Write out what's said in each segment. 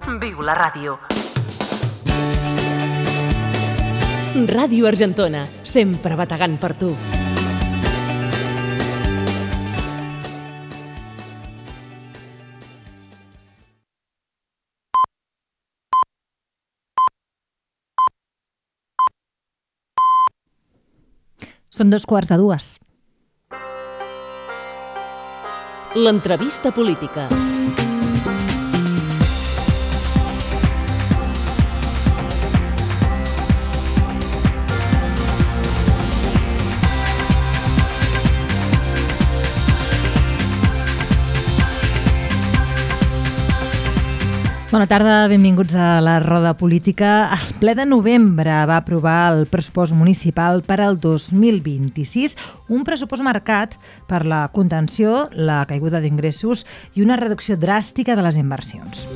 Viu la ràdio. Ràdio Argentona, sempre bategant per tu. Són 2:15. L'entrevista política. Bona tarda, benvinguts a la Roda Política. El ple de novembre va aprovar el pressupost municipal per al 2026, un pressupost marcat per la contenció, la caiguda d'ingressos i una reducció dràstica de les inversions.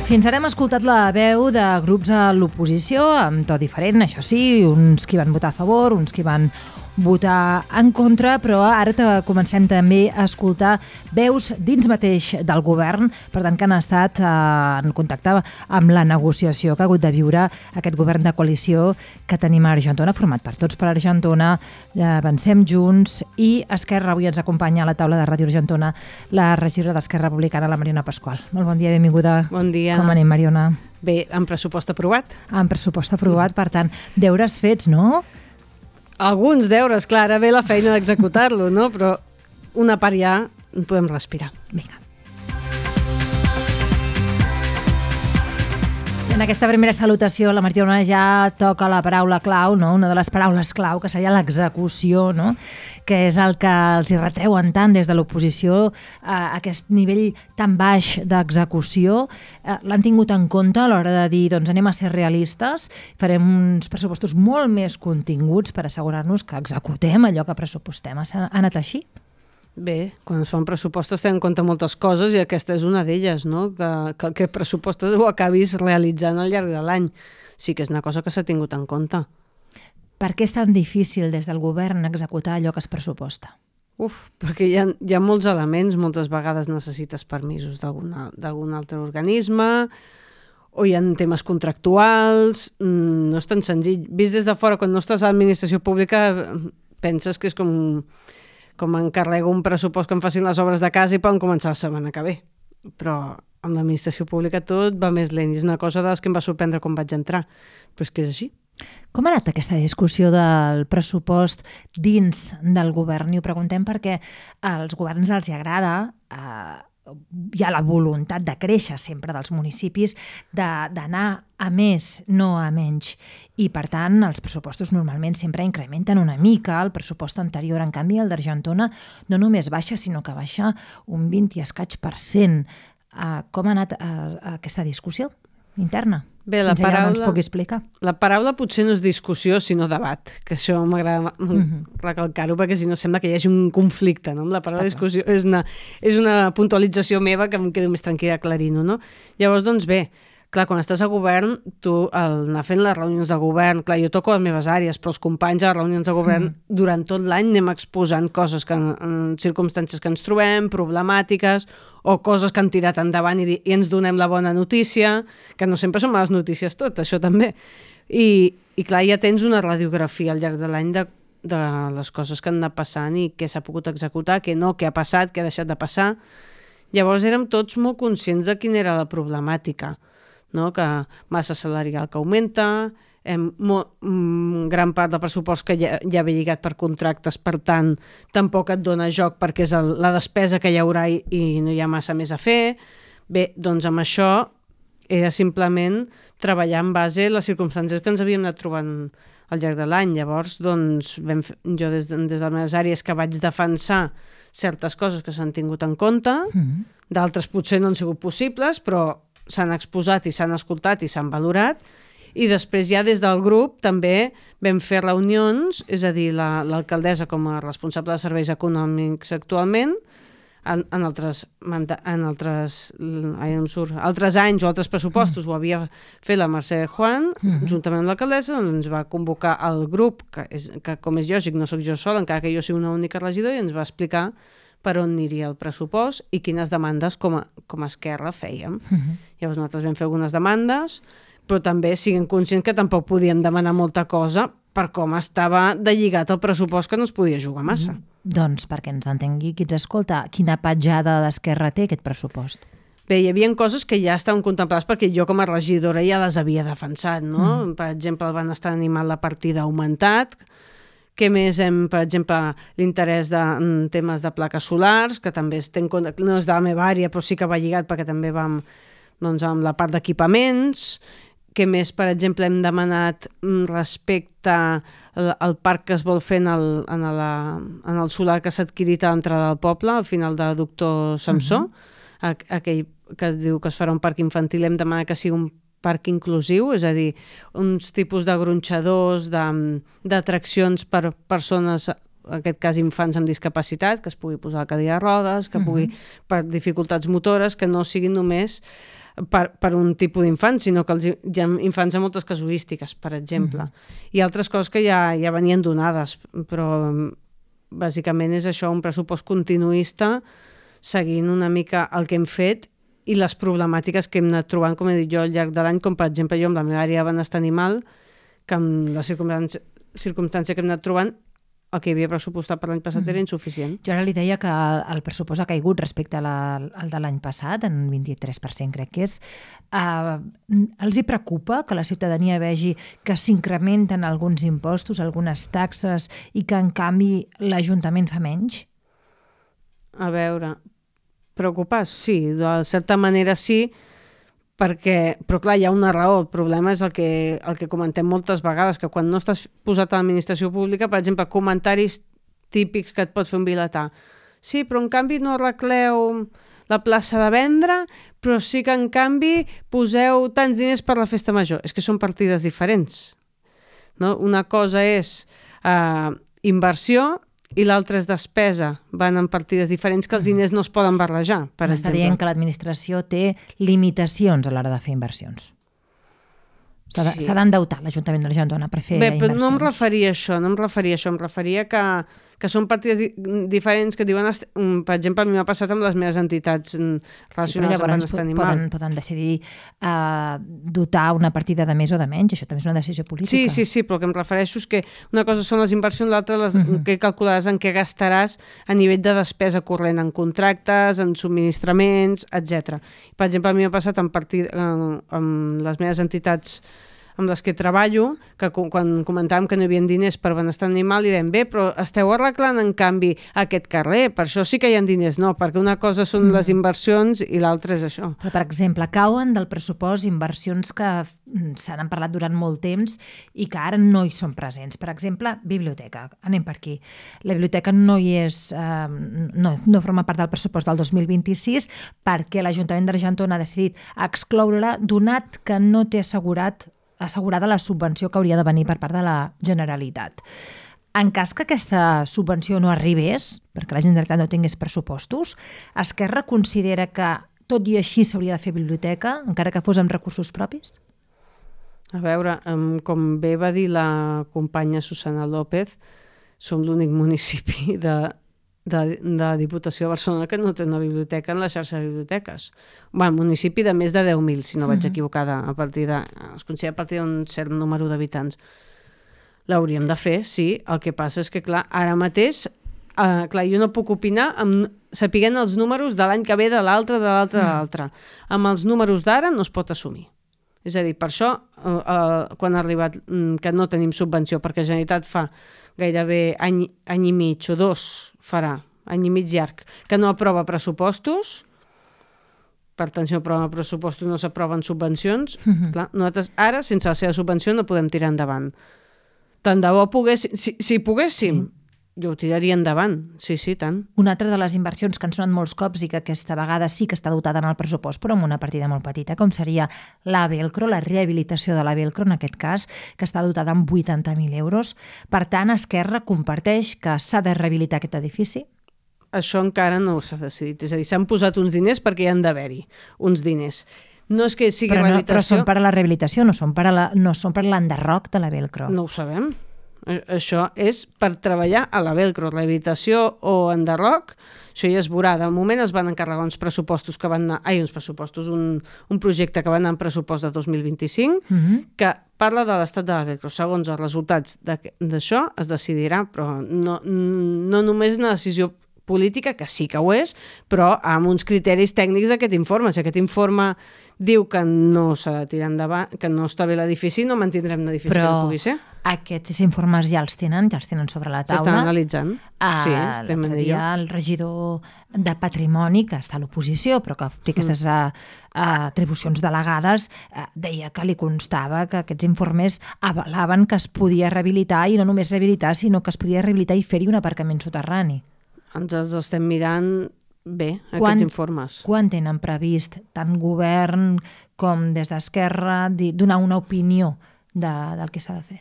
Fins ara hem escoltat la veu de grups a l'oposició, amb to diferent, això sí, uns qui van votar a favor, uns qui van votar en contra, però ara comencem també a escoltar veus dins mateix del govern, per tant que han estat en contacte amb la negociació que ha hagut de viure aquest govern de coalició que tenim a Argentona, format per Tots per Argentona, Avancem Junts i Esquerra. Avui ens acompanya a la taula de Ràdio Argentona la regidora d'Esquerra Republicana, la Mariona Pascual. Molt bon dia, benvinguda. Bon dia. Com anem, Mariona? Bé, amb pressupost aprovat. Amb pressupost aprovat, per tant, deures fets, no? Alguns deures, clar, ara ve la feina d'executar-lo, no? Però una part ja podem respirar. Vinga. En aquesta primera salutació, la Mariona ja toca la paraula clau, no? Una de les paraules clau, que seria l'execució, no? Que és el que els hi retreuen tant des de l'oposició, aquest nivell tan baix d'execució. L'han tingut en compte a l'hora de dir, doncs anem a ser realistes, farem uns pressupostos molt més continguts per assegurar-nos que executem allò que pressupostem. Ha anat així? Bé, quan es fan pressupostos tenen en compte moltes coses i aquesta és una d'elles, no? Que el pressupostos ho acabis realitzant al llarg de l'any. Sí que és una cosa que s'ha tingut en compte. Per què és tan difícil des del govern executar allò que es pressuposta? Perquè hi ha molts elements, moltes vegades necessites permisos d'algun altre organisme, o hi ha temes contractuals, no és tan senzill. Vist des de fora, quan no estàs a l'administració pública, penses que és com encarrego un pressupost que em facin les obres de casa i poden començar la setmana que ve. Però amb l'administració pública tot va més lent i és una cosa de les que em va sorprendre quan vaig entrar. Però és que és així. Com ha anat aquesta discussió del pressupost dins del govern? I ho preguntem perquè als governs els hi agrada, hi ha la voluntat de créixer sempre dels municipis, d'anar a més, no a menys. I, per tant, els pressupostos normalment sempre incrementen una mica el pressupost anterior. En canvi, el d'Argentona no només baixa, sinó que baixa un 20 i escaig %. Com ha anat aquesta discussió interna? Bé, Fins allà no ens pugui explicar. La paraula potser no és discussió, sinó debat, que això m'agrada recalcar-ho, perquè si no sembla que hi hagi un conflicte, no? Amb la paraula discussió és una puntualització meva que em quedo més tranquil·la aclarint-ho, no? Llavors, doncs bé, clar, quan estàs a govern, tu anar fent les reunions de govern, clar, jo toco les meves àrees, però els companys a les reunions de govern durant tot l'any anem exposant coses en circumstàncies que ens trobem, problemàtiques, o coses que han tirat endavant i ens donem la bona notícia, que no sempre són males notícies tot, això també. I clar, ja tens una radiografia al llarg de l'any de les coses que han anat passant i què s'ha pogut executar, què no, què ha passat, què ha deixat de passar. Llavors érem tots molt conscients de quina era la problemàtica, no? Que massa salarial que augmenta, gran part del pressupost que ja ve lligat per contractes, per tant, tampoc et dona joc perquè és la despesa que hi haurà i no hi ha massa més a fer. Bé, doncs amb això era simplement treballar en base a les circumstàncies que ens havíem anat trobant al llarg de l'any. Llavors, doncs, jo des de les meves àrees que vaig defensar certes coses que s'han tingut en compte, d'altres potser no han sigut possibles, però s'han exposat i s'han escoltat i s'han valorat. I després ja des del grup també vam fer reunions, és a dir, l'alcaldessa com a responsable de serveis econòmics actualment, en altres anys o altres pressupostos ho havia fet la Mercè Juan, juntament amb l'alcaldessa, ens va convocar el grup, que com és lògic no sóc jo sola, encara que jo sigui una única regidora, i ens va explicar per on aniria el pressupost i quines demandes com a Esquerra fèiem. Llavors nosaltres vam fer algunes demandes, però també siguem conscients que tampoc podíem demanar molta cosa per com estava de lligat el pressupost, que no es podia jugar massa. Doncs perquè ens entengui qui ens escolta, quina petjada d'Esquerra té aquest pressupost? Bé, hi havia coses que ja estaven contemplades perquè jo com a regidora ja les havia defensat, no? Per exemple, el benestar animal, la partida ha augmentat. Què més per exemple, l'interès de temes de plaques solars, que també no és de la meva àrea, però sí que va lligat perquè també vam amb la part d'equipaments. Què més, per exemple, hem demanat respecte al parc que es vol fer en el solar que s'ha adquirit a l'entrada del poble, al final de Doctor Samsó, aquell que es diu que es farà un parc infantil, hem demanat que sigui un parc inclusiu, és a dir, uns tipus de gronxadors, d'atraccions per persones, en aquest cas infants amb discapacitat, que es pugui posar a cadira de rodes, que pugui per dificultats motores, que no siguin només per un tipus d'infants, sinó que hi ha infants amb moltes casuístiques, per exemple. I altres coses que ja venien donades, però bàsicament és això, un pressupost continuista, seguint una mica el que hem fet i les problemàtiques que hem anat trobant, com he dit jo, al llarg de l'any, com per exemple jo amb la meva àrea de benestar animal, que amb la circumstància que hem anat trobant, el que hi havia pressupostat per l'any passat era insuficient. Jo ara li deia que el pressupost ha caigut respecte al de l'any passat, en 23% crec que és. Els hi preocupa que la ciutadania vegi que s'incrementen alguns impostos, algunes taxes, i que en canvi l'Ajuntament fa menys? A veure, preocupar, sí, de certa manera sí, però clar, hi ha una raó. El problema és el que comentem moltes vegades, que quan no estàs posat a l'administració pública, per exemple, comentaris típics que et pot fer un vilatà. Sí, però en canvi no arregleu la plaça de vendre, però sí que en canvi poseu tants diners per la festa major. És que són partides diferents. No? Una cosa és inversió i l'altra és despesa. Van en partides diferents que els diners no es poden barrejar, per exemple. M'està dient que l'administració té limitacions a l'hora de fer inversions. S'ha d'endeutar l'Ajuntament d'Argentona per fer inversions. Bé, però no em referia a això, em referia que són partides diferents que diuen, per exemple, a mi m'ha passat amb les meves entitats relacionades amb benestar animal. Poden decidir dotar una partida de més o de menys, això també és una decisió política. Sí, però el que em refereixo és que una cosa són les inversions, l'altra que calcularàs en què gastaràs a nivell de despesa corrent, en contractes, en subministraments, etc. Per exemple, a mi m'ha passat amb les meves entitats amb les que treballo, que quan comentàvem que no hi havia diners per benestar animal, i dèiem, bé, però esteu arreglant en canvi aquest carrer, per això sí que hi ha diners. No, perquè una cosa són les inversions i l'altra és això. Però, per exemple, cauen del pressupost inversions que se n'han parlat durant molt temps i que ara no hi són presents. Per exemple, biblioteca. Anem per aquí. La biblioteca no hi és, no forma part del pressupost del 2026 perquè l'Ajuntament d'Argentona ha decidit excloure-la, donat que no té assegurada la subvenció que hauria de venir per part de la Generalitat. En cas que aquesta subvenció no arribés, perquè la Generalitat no tingués pressupostos, Esquerra considera que tot i així s'hauria de fer biblioteca, encara que fos amb recursos propis? A veure, com bé va dir la companya Susana López, som l'únic municipi de la Diputació de Barcelona que no té una biblioteca en la xarxa de biblioteques. Municipi de més de 10.000, si no vaig equivocada, es considera a partir d'un cert número d'habitants. L'hauríem de fer, sí. El que passa és que, clar, ara mateix, jo no puc opinar sapiguent els números de l'any que ve, de l'altre, de l'altre, de l'altre. Amb els números d'ara no es pot assumir. És a dir, per això, quan ha arribat que no tenim subvenció, perquè la Generalitat fa gairebé any i mig o dos farà, any i mig llarg, que no aprova pressupostos, per tant, si no aproven pressupostos no s'aproven subvencions, clar, nosaltres ara, sense la seva subvenció, no podem tirar endavant. Tant de bo poguéssim, si poguéssim, jo ho tiraria endavant, sí, tant. Una altra de les inversions que han sonat molts cops i que aquesta vegada sí que està dotada en el pressupost, però amb una partida molt petita, com seria la Velcro, la rehabilitació de la Velcro, en aquest cas, que està dotada amb 80.000 euros. Per tant, Esquerra comparteix que s'ha de rehabilitar aquest edifici? Això encara no s'ha decidit. És a dir, s'han posat uns diners perquè hi han d'haver-hi uns diners. No és que sigui rehabilitació... Però són per a la rehabilitació, no són per l'enderroc de la Velcro. No ho sabem. Això és per treballar a la Velcro, rehabilitació o enderroc, això ja es veurà. De moment es van encarregar uns pressupostos que van anar... un projecte que va anar en pressupost de 2025, que parla de l'estat de la Velcro. Segons els resultats d'això es decidirà, però no només una decisió política, que sí que ho és, però amb uns criteris tècnics d'aquest informe. Si aquest informe diu que no s'ha de tirar endavant, que no està bé l'edifici, no mantindrem l'edifici que no pugui ser. Però aquests informes ja els tenen sobre la taula. S'estan analitzant. Sí, l'altre dia el regidor de Patrimoni, que està a l'oposició, però que té aquestes atribucions delegades, deia que li constava que aquests informes avalaven que es podia rehabilitar, i no només rehabilitar, sinó que es podia rehabilitar i fer-hi un aparcament soterrani. Ens els estem mirant bé, aquests informes. Quan tenen previst tant govern com des d'Esquerra donar una opinió del que s'ha de fer?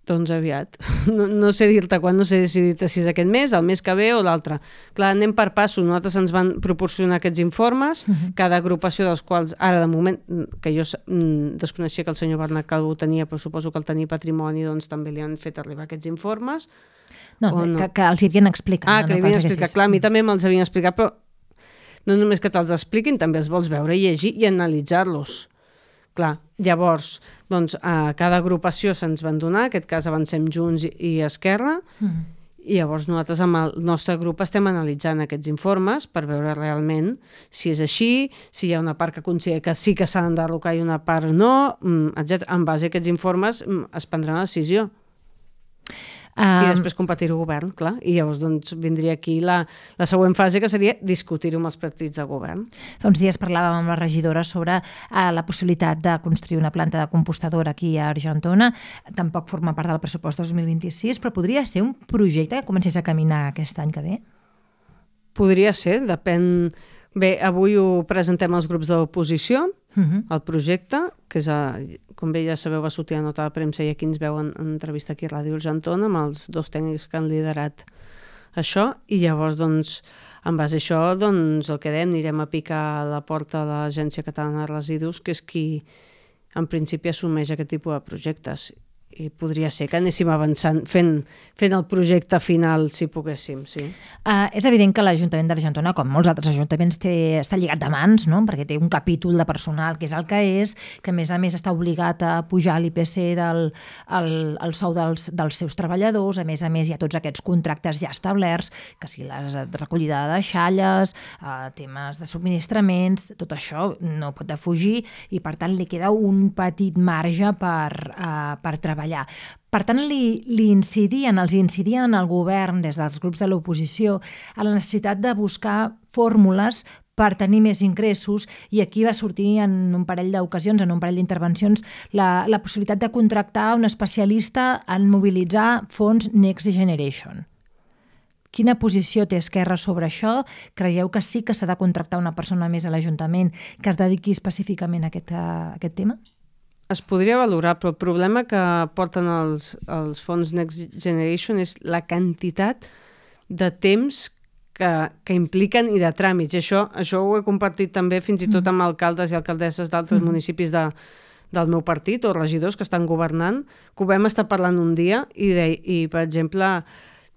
Doncs aviat. No sé dir-te quan, no sé decidir si és aquest mes, el mes que ve o l'altre. Clar, anem per passos. Nosaltres ens van proporcionar aquests informes, cada agrupació dels quals, ara de moment, que jo desconeixia que el senyor Bernat Calvo tenia, però suposo que el tenia Patrimoni, doncs també li han fet arribar aquests informes. No, que els hi havien explicat. Que li havien explicat. Clar, a mi també me'ls havien explicat, però no només que te'ls expliquin, també els vols veure, llegir i analitzar-los. Clar, llavors, doncs, a cada agrupació se'ns van donar, en aquest cas avancem Junts i Esquerra, i llavors nosaltres amb el nostre grup estem analitzant aquests informes per veure realment si és així, si hi ha una part que considera que sí que s'ha d'enderrocar i una part no, etc. En base a aquests informes es prendrà una decisió. I després competir-ho govern, clar. I llavors doncs, vindria aquí la següent fase, que seria discutir-ho amb els partits de govern. Fa uns dies parlàvem amb la regidora sobre la possibilitat de construir una planta de compostadora aquí a Argentona. Tampoc forma part del pressupost 2026, però podria ser un projecte que comencés a caminar aquest any que ve? Podria ser, depèn... Bé, avui ho presentem als grups de l'oposició, el projecte, que és, com bé ja sabeu, va sortir a nota de premsa i aquí ens veuen en entrevista aquí a Ràdio Argentona amb els dos tècnics que han liderat això, i llavors, doncs, en base a això, doncs, el que dèiem, anirem a picar a la porta de l'Agència Catalana de Residus, que és qui, en principi, assumeix aquest tipus de projectes. I podria ser que anéssim avançant fent el projecte final, si poguéssim, sí. És evident que l'Ajuntament d'Argentona, com molts altres ajuntaments, està lligat de mans, no? Perquè té un capítol de personal que és el que és, que a més està obligat a pujar l'IPC el sou dels seus treballadors, a més hi ha tots aquests contractes ja establerts, que si la recollida de deixalles, temes de subministraments, tot això no pot defugir i per tant li queda un petit marge per treballar. Per tant, els incidien al govern des dels grups de l'oposició a la necessitat de buscar fórmules per tenir més ingressos, i aquí va sortir en un parell d'ocasions, en un parell d'intervencions, la possibilitat de contractar un especialista en mobilitzar fons Next Generation. Quina posició té Esquerra sobre això? Creieu que sí que s'ha de contractar una persona més a l'Ajuntament que es dediqui específicament a aquest tema? Es podria valorar, però el problema que porten els fons Next Generation és la quantitat de temps que impliquen i de tràmits. I això ho he compartit també fins i tot amb alcaldes i alcaldesses d'altres municipis del meu partit o regidors que estan governant, que ho vam estar parlant un dia i per exemple,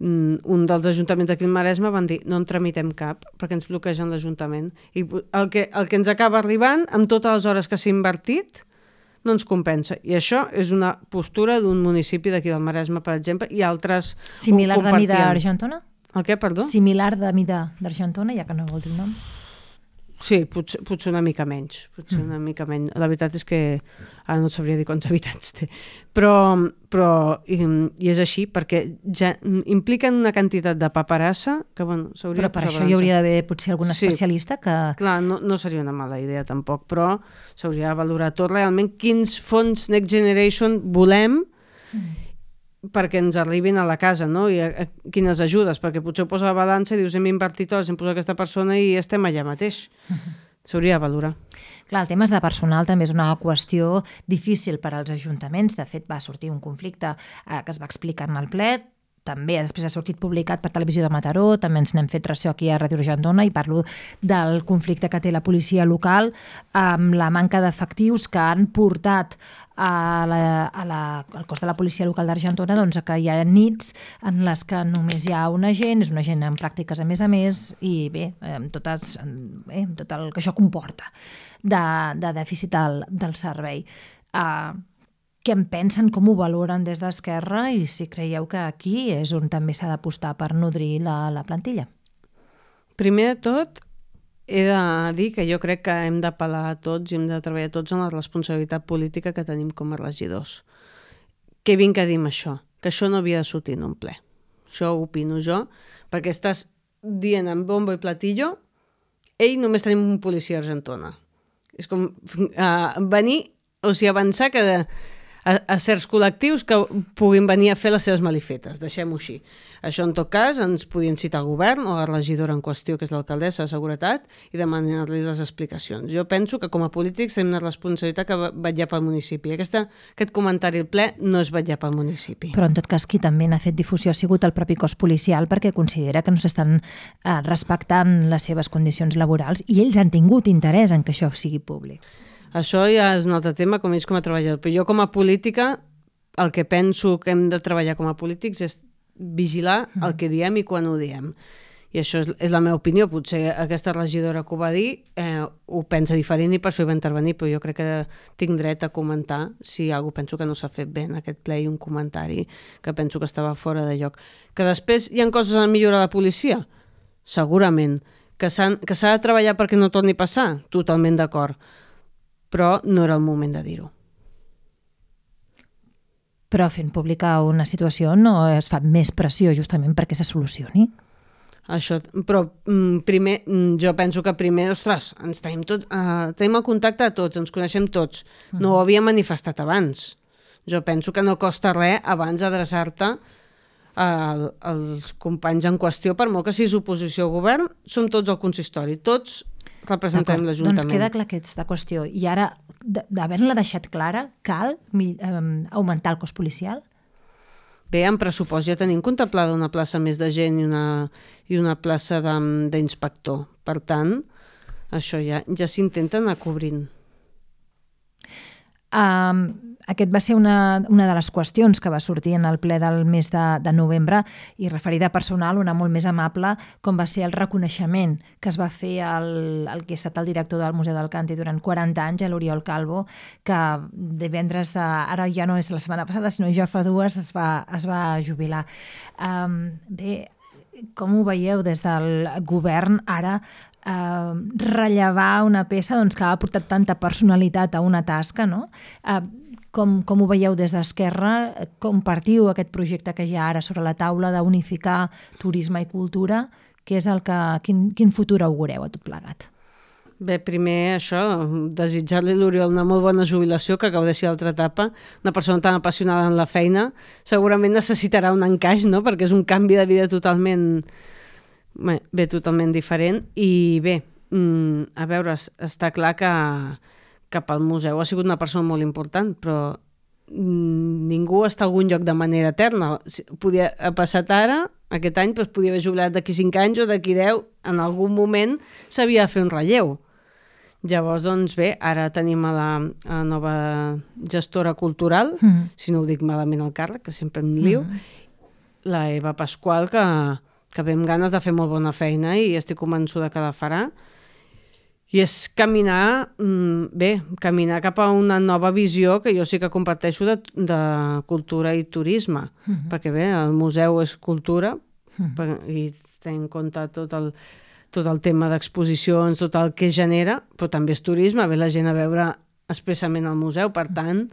un dels ajuntaments d'aquí al Maresme van dir no en tramitem cap perquè ens bloquegen l'Ajuntament. I el que ens acaba arribant, amb totes les hores que s'ha invertit, no ens compensa. I això és una postura d'un municipi d'aquí del Maresme, per exemple, i altres similar de mida d'Argentona? El què, perdó? Similar de mida d'Argentona, ja que no vol dir el nom. Sí, potser una mica menys. Una mica menys. La veritat és que ara no sabria dir quants habitants té. Però i és així, perquè ja impliquen una quantitat de paperassa que, bueno, s'hauria... Però per això hi hauria d'haver potser algun especialista que... Clar, no seria una mala idea tampoc, però s'hauria de valorar tot realment quins fons Next Generation volem perquè ens arribin a la casa, no? I quines ajudes, perquè potser ho posa a la balança i dius hem invertit hores, hem posat aquesta persona i estem allà mateix. S'hauria de valorar. Clar, el tema de personal també és una qüestió difícil per als ajuntaments. De fet, va sortir un conflicte que es va explicar en el ple. també després ha sortit publicat per Televisió de Mataró, també ens n'hem fet ressò aquí a Ràdio Argentona i parlo del conflicte que té la policia local amb la manca d'efectius que han portat al cos de la policia local d'Argentona doncs, que hi ha nits en les que només hi ha un agent, és un agent en pràctiques a més, i bé, amb tot el que això comporta de dèficit del servei. Què en pensen, com ho valoren des d'Esquerra i si creieu que aquí és on també s'ha d'apostar per nodrir la plantilla? Primer de tot, he de dir que jo crec que hem d'apel·lar a tots i hem de treballar tots en la responsabilitat política que tenim com a regidors. Què vinc a dir amb això? Que això no havia de sortir en un ple. Això ho opino jo, perquè estàs dient amb bombo i platillo només tenim un policia a Argentona. És com venir, o sigui, avançar que a certs col·lectius que puguin venir a fer les seves malifetes, deixem-ho així. Això, en tot cas, ens podien citar al govern o a la regidora en qüestió, que és l'alcaldessa de Seguretat, i demanar-li les explicacions. Jo penso que com a polítics tenim una responsabilitat que vetllar pel municipi. Aquest comentari al ple no és vetllar pel municipi. Però, en tot cas, qui també n'ha fet difusió ha sigut el propi cos policial perquè considera que no s'estan respectant les seves condicions laborals i ells han tingut interès en que això sigui públic. Això ja és un altre tema, com ells com a treballador. Però jo com a política, el que penso que hem de treballar com a polítics és vigilar el que diem i quan ho diem. I això és la meva opinió. Potser aquesta regidora que ho va dir ho pensa diferent i per això hi va intervenir, però jo crec que tinc dret a comentar si alguna cosa penso que no s'ha fet bé en aquest ple i un comentari que penso que estava fora de lloc. Que després hi ha coses a millorar a la policia? Segurament. Que s'ha de treballar perquè no torni a passar? Totalment d'acord. Però no era el moment de dir-ho. Però fent pública una situació no es fa més pressió justament perquè se solucioni? Això, però primer, jo penso que primer, ostres, ens tenim el contacte a tots, ens coneixem tots. No ho havíem manifestat abans. Jo penso que no costa res abans adreçar-te als companys en qüestió, per molt que siguis oposició al govern, som tots al consistori, tots representem l'Ajuntament. Doncs queda clar aquesta qüestió. I ara, d'haver-la deixat clara, cal augmentar el cos policial? Bé, en pressupost ja tenim contemplada una plaça més de gent i una plaça d'inspector. Per tant, això ja s'intenta anar cobrint. Aquest va ser una de les qüestions que va sortir en el ple del mes de novembre i referida a personal, una molt més amable, com va ser el reconeixement que es va fer al que ha estat el director del Museu del Càntir durant 40 anys, a l'Oriol Calvo, que divendres, ara ja no és la setmana passada, sinó ja fa 2, es va jubilar. Bé, com ho veieu des del govern ara rellevar una peça que ha aportat tanta personalitat a una tasca, no? Com ho veieu des d'Esquerra? Compartiu aquest projecte que hi ha ara sobre la taula d'unificar turisme i cultura? Quin futur augureu a tot plegat? Bé, primer això, desitjar-li a l'Oriol una molt bona jubilació, que gaudeixi l'altra etapa. Una persona tan apassionada en la feina segurament necessitarà un encaix, no? Perquè és un canvi de vida totalment diferent. I bé, a veure, està clar que pel museu ha sigut una persona molt important, però ningú està a algun lloc de manera eterna. Podia ha passat ara, aquest any, doncs podia haver jubilat d'aquí 5 anys o d'aquí 10, en algun moment s'havia de fer un relleu. Llavors, doncs bé, ara tenim a la nova gestora cultural, si no ho dic malament el càrrec, que sempre em lio, la Eva Pasqual, que ve amb ganes de fer molt bona feina i estic convençuda que la farà. I és caminar cap a una nova visió que jo sí que comparteixo de cultura i turisme, perquè bé, el museu és cultura i té en compte tot el tema d'exposicions, tot el que genera, però també és turisme, ve la gent a veure expressament el museu, per tant,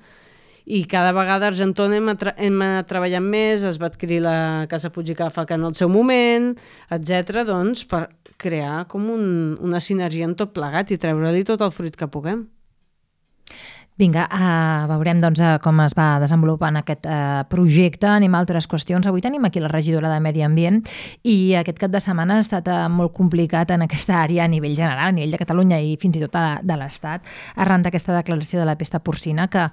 i cada vegada a Argentona hem anat treballant més, es va adquirir la Casa Puig i Cáfaca en el seu moment, etc., doncs per crear com una sinergia en tot plegat i treure-li tot el fruit que puguem. Vinga, veurem doncs, com es va desenvolupant aquest projecte. Anem a altres qüestions. Avui tenim aquí la regidora de Medi Ambient i aquest cap de setmana ha estat molt complicat en aquesta àrea a nivell general, a nivell de Catalunya i fins i tot de l'Estat, arran d'aquesta declaració de la pesta porcina, que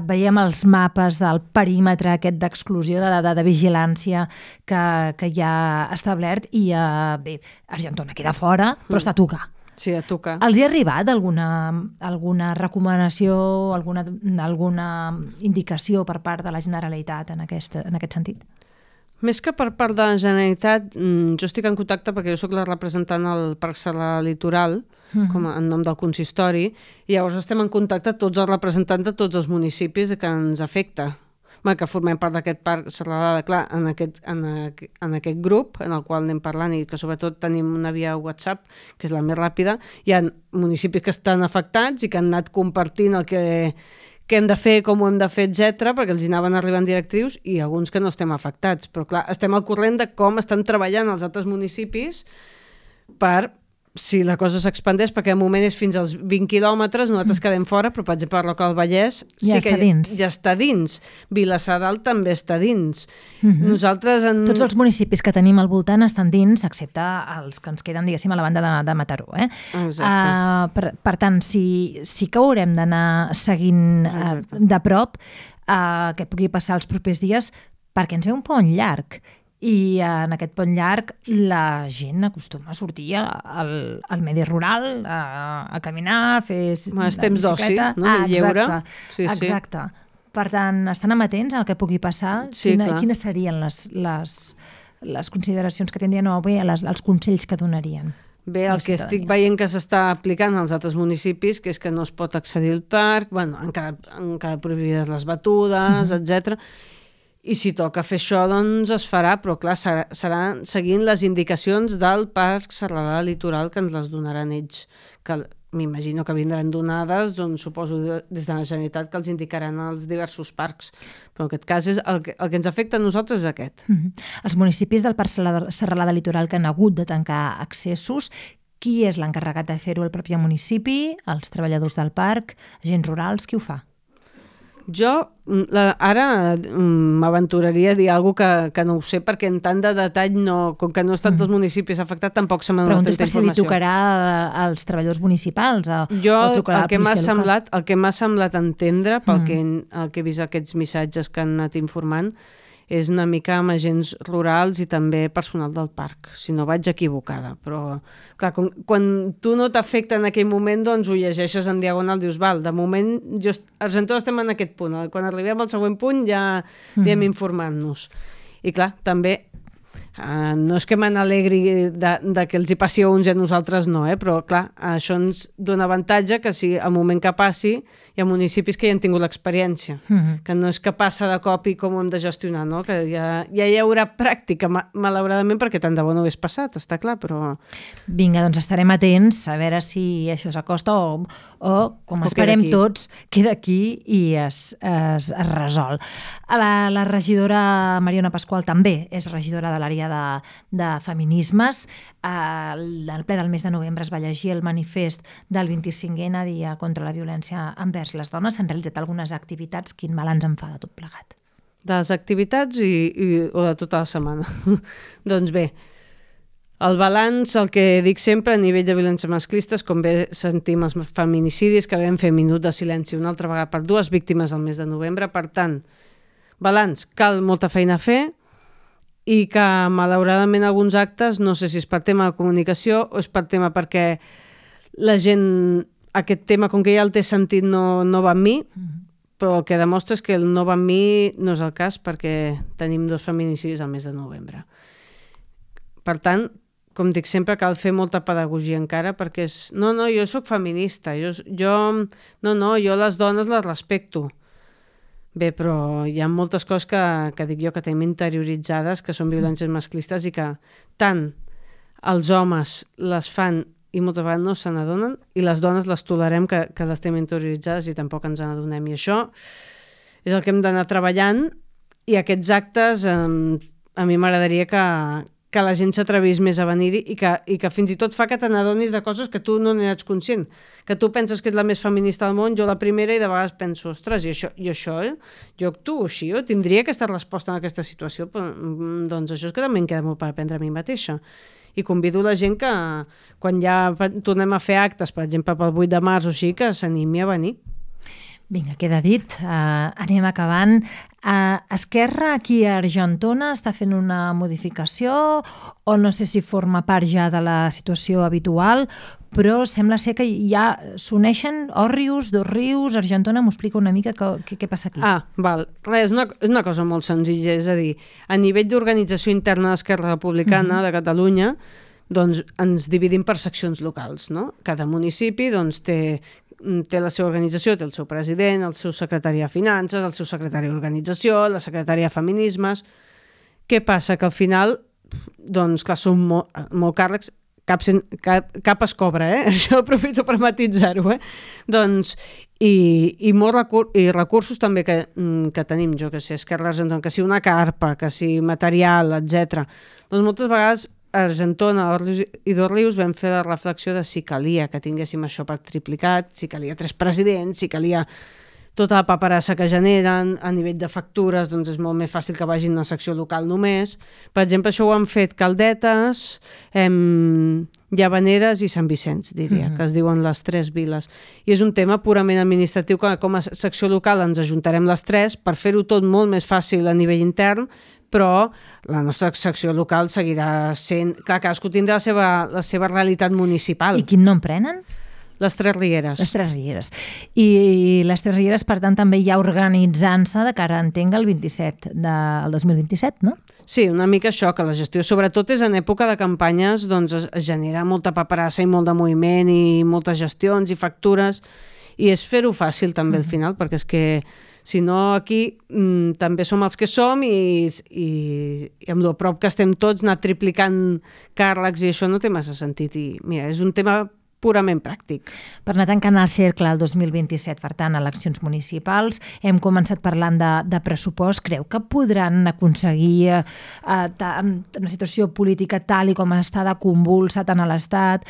veiem els mapes del perímetre aquest d'exclusió, de vigilància que hi ha establert i bé, Argentona queda fora, però està a tocar. Sí, a tocar. Els hi ha arribat alguna recomanació, alguna indicació per part de la Generalitat en aquest sentit? Més que per part de la Generalitat, jo estic en contacte perquè jo soc la representant al Parc Serralada Litoral, com en nom del consistori, i llavors estem en contacte tots els representants de tots els municipis que ens afecta. Que formem part d'aquest Parc Serralada, clar, en aquest grup en el qual anem parlant i que sobretot tenim una via WhatsApp, que és la més ràpida, hi ha municipis que estan afectats i que han anat compartint el que hem de fer, com ho hem de fer, etc, perquè els hi anaven arribant directrius i alguns que no estem afectats. Però clar, estem al corrent de com estan treballant els altres municipis per si la cosa s'expandeix, perquè al moment és fins als 20 quilòmetres, nosaltres quedem fora, però per exemple, el Roca del Vallès ja està dins. Vilassar Dalt també està dins. Nosaltres Tots els municipis que tenim al voltant estan dins, excepte els que ens queden, diguéssim, a la banda de Mataró. Exacte. Per tant, sí que haurem d'anar seguint de prop què pugui passar els propers dies, perquè ens ve un pont llarg. I en aquest pont llarg la gent acostuma a sortir al medi rural, a caminar, a fer temps d'oci, no? De lleure. Exacte. Per tant, estan amatents al que pugui passar? Quines serien les consideracions que tindrien o bé els consells que donarien? Bé, el que estic veient que s'està aplicant als altres municipis, que és que no es pot accedir al parc, han quedat prohibides les batudes, etc. I si toca fer això, doncs es farà, però clar, serà seguint les indicacions del Parc Serralada Litoral que ens les donaran ells, que m'imagino que vindran donades, doncs suposo des de la Generalitat que els indicaran als diversos parcs. Però en aquest cas el que ens afecta a nosaltres és aquest. Els municipis del Parc Serralada Litoral que han hagut de tancar accessos, qui és l'encarregat de fer-ho? El propi municipi, els treballadors del parc, agents rurals, qui ho fa? Jo ara m'aventuraria a dir alguna cosa que no ho sé, perquè en tant de detall, com que no estan els municipis afectats, tampoc se m'ha donat tanta informació. Preguntes per si li tocarà als treballadors municipals o trucarà a la policia local. El que m'ha semblat entendre, pel que he vist aquests missatges que han anat informant, és una mica amb agents rurals i també personal del parc, si no vaig equivocada. Però, clar, quan tu no t'afecta en aquell moment, doncs ho llegeixes en diagonal, dius, val, de moment, Argentona estem en aquest punt. Quan arribem al següent punt ja anem informant-nos. I clar, també, no és que me n'alegri de que els hi passi a uns i a nosaltres no, però clar, això ens dona avantatge que si al moment que passi hi ha municipis que ja han tingut l'experiència, que no és que passa de cop i com ho hem de gestionar, no? Que ja hi haurà pràctica, malauradament, perquè tant de bo no hagués passat, està clar, però... Vinga, doncs estarem atents a veure si això s'acosta o com esperem tots, queda aquí i es resol. La regidora Mariona Pasqual també és regidora de l'àrea de feminismes. Al ple del mes de novembre es va llegir el manifest del 25è Dia contra la Violència envers les Dones. S'han realitzat algunes activitats. Quin balanç en fa de tot plegat? De les activitats o de tota la setmana? Doncs bé, el balanç, el que dic sempre a nivell de violències masclistes, com bé sentim els feminicidis, que vam fer minut de silenci una altra vegada per 2 víctimes al mes de novembre. Per tant, balanç, cal molta feina a fer, i que malauradament alguns actes, no sé si és per tema de comunicació o és per tema perquè la gent, aquest tema, com que ja el té sentit, no va amb mi, però el que demostra és que el no va amb mi no és el cas perquè tenim 2 feminicidis al mes de novembre. Per tant, com dic sempre, cal fer molta pedagogia encara perquè és, no, jo sóc feminista, jo les dones les respecto. Bé, però hi ha moltes coses que dic jo que tenim interioritzades, que són violències masclistes i que tant els homes les fan i moltes vegades no se n'adonen i les dones les tolerem que les tenim interioritzades i tampoc ens n'adonem. I això és el que hem d'anar treballant i aquests actes a mi m'agradaria que la gent s'atrevís més a venir-hi i que fins i tot fa que te n'adonis de coses que tu no n'eres conscient. Que tu penses que ets la més feminista del món, jo la primera, i de vegades penso, ostres, i això jo actuo així, jo tindria aquesta resposta en aquesta situació, però, doncs això és que també em queda molt per aprendre a mi mateixa. I convido la gent que quan ja tornem a fer actes, per exemple pel 8 de març o així, que s'animi a venir. Vinga, queda dit. Anem acabant. Esquerra aquí a Argentona està fent una modificació o no sé si forma part ja de la situació habitual, però sembla ser que ja s'uneixen Òrrius, Dosrius, Argentona. M'ho explica una mica què passa aquí. Val. Res, és una cosa molt senzilla, és a dir, a nivell d'organització interna d'Esquerra Republicana de Catalunya, doncs ens dividim per seccions locals, no? Cada municipi doncs té la seva organització, té el seu president, el seu secretari de Finances, el seu secretari d'Organització, la secretària de Feminismes. Què passa? Que al final, doncs, clar, són molt càrrecs, cap es cobra, Això aprofito per matitzar-ho, Doncs, i recursos també que tenim, jo que sé, Esquerra Argentona, que sigui una carpa, que sigui material, etc. Doncs moltes vegades a Argentona, Òrrius i Dosrius vam fer la reflexió de si calia que tinguéssim això per triplicat, si calia 3 presidents, si calia tota la paperassa que generen, a nivell de factures, doncs és molt més fàcil que vagin a una secció local només. Per exemple, això ho han fet Caldetes, Llavaneres i Sant Vicenç, diria, que es diuen les 3 viles. I és un tema purament administratiu, que com a secció local ens ajuntarem les 3 per fer-ho tot molt més fàcil a nivell intern, però la nostra secció local seguirà sent... Clar, cadascú tindrà la seva realitat municipal. I quin nom prenen? Les 3 Rieres. Les 3 Rieres. I les 3 Rieres, per tant, també ja organitzant-se de cara, entenc, al 27 del 2027, no? Sí, una mica això, que la gestió sobretot és en època de campanyes, doncs es genera molta paperassa i molt de moviment i moltes gestions i factures, i és fer-ho fàcil també al final, perquè és que si no aquí també som els que som i amb lo prop que estem tots anar triplicant càrrecs i això no té massa sentit i mira, és un tema purament pràctic. Per anar tancant el cercle el 2027, per tant, eleccions municipals, hem començat parlant de pressupost. Creu que podran aconseguir una situació política tal i com està de convulsa tant a l'Estat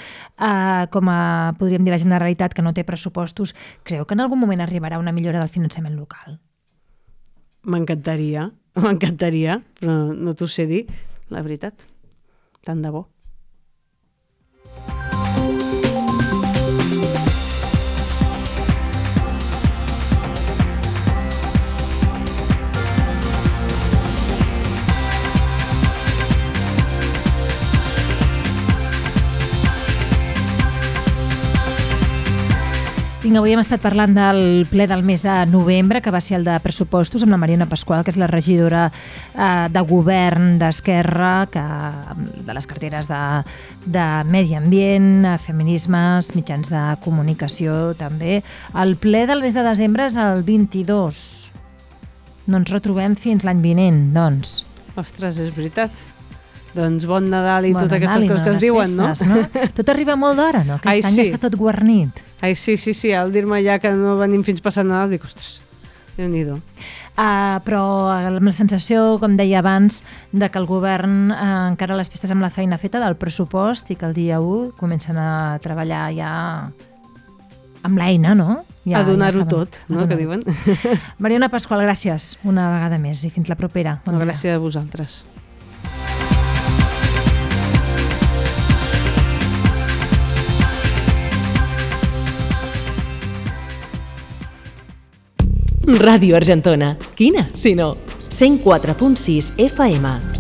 com a, podríem dir, la Generalitat, que no té pressupostos? Creu que en algun moment arribarà una millora del finançament local? M'encantaria, però no t'ho sé dir, la veritat. Tant de bo. Vinga, avui hem estat parlant del ple del mes de novembre, que va ser el de pressupostos, amb la Mariona Pasqual, que és la regidora de govern d'Esquerra, de les carteres de Medi Ambient, Feminismes, mitjans de comunicació també. El ple del mes de desembre és el 22. No ens retrobem fins l'any vinent, doncs. Ostres, és veritat. Doncs bon Nadal i totes aquestes coses que es diuen, festes, no? Tot arriba molt d'hora, no? Aquest any està tot guarnit. Ai, sí, al dir-me ja que no venim fins passant Nadal, dic, ostres, Déu-n'hi-do. Però amb la sensació, com deia abans, de que el govern encara les festes amb la feina feta del pressupost i que el dia 1 comencen a treballar ja amb l'eina, no? A donar-ho tot, no?, que diuen. Mariona Pasqual, gràcies una vegada més i fins la propera. Gràcies a vosaltres. Ràdio Argentona. Quina, si no? 104.6 FM.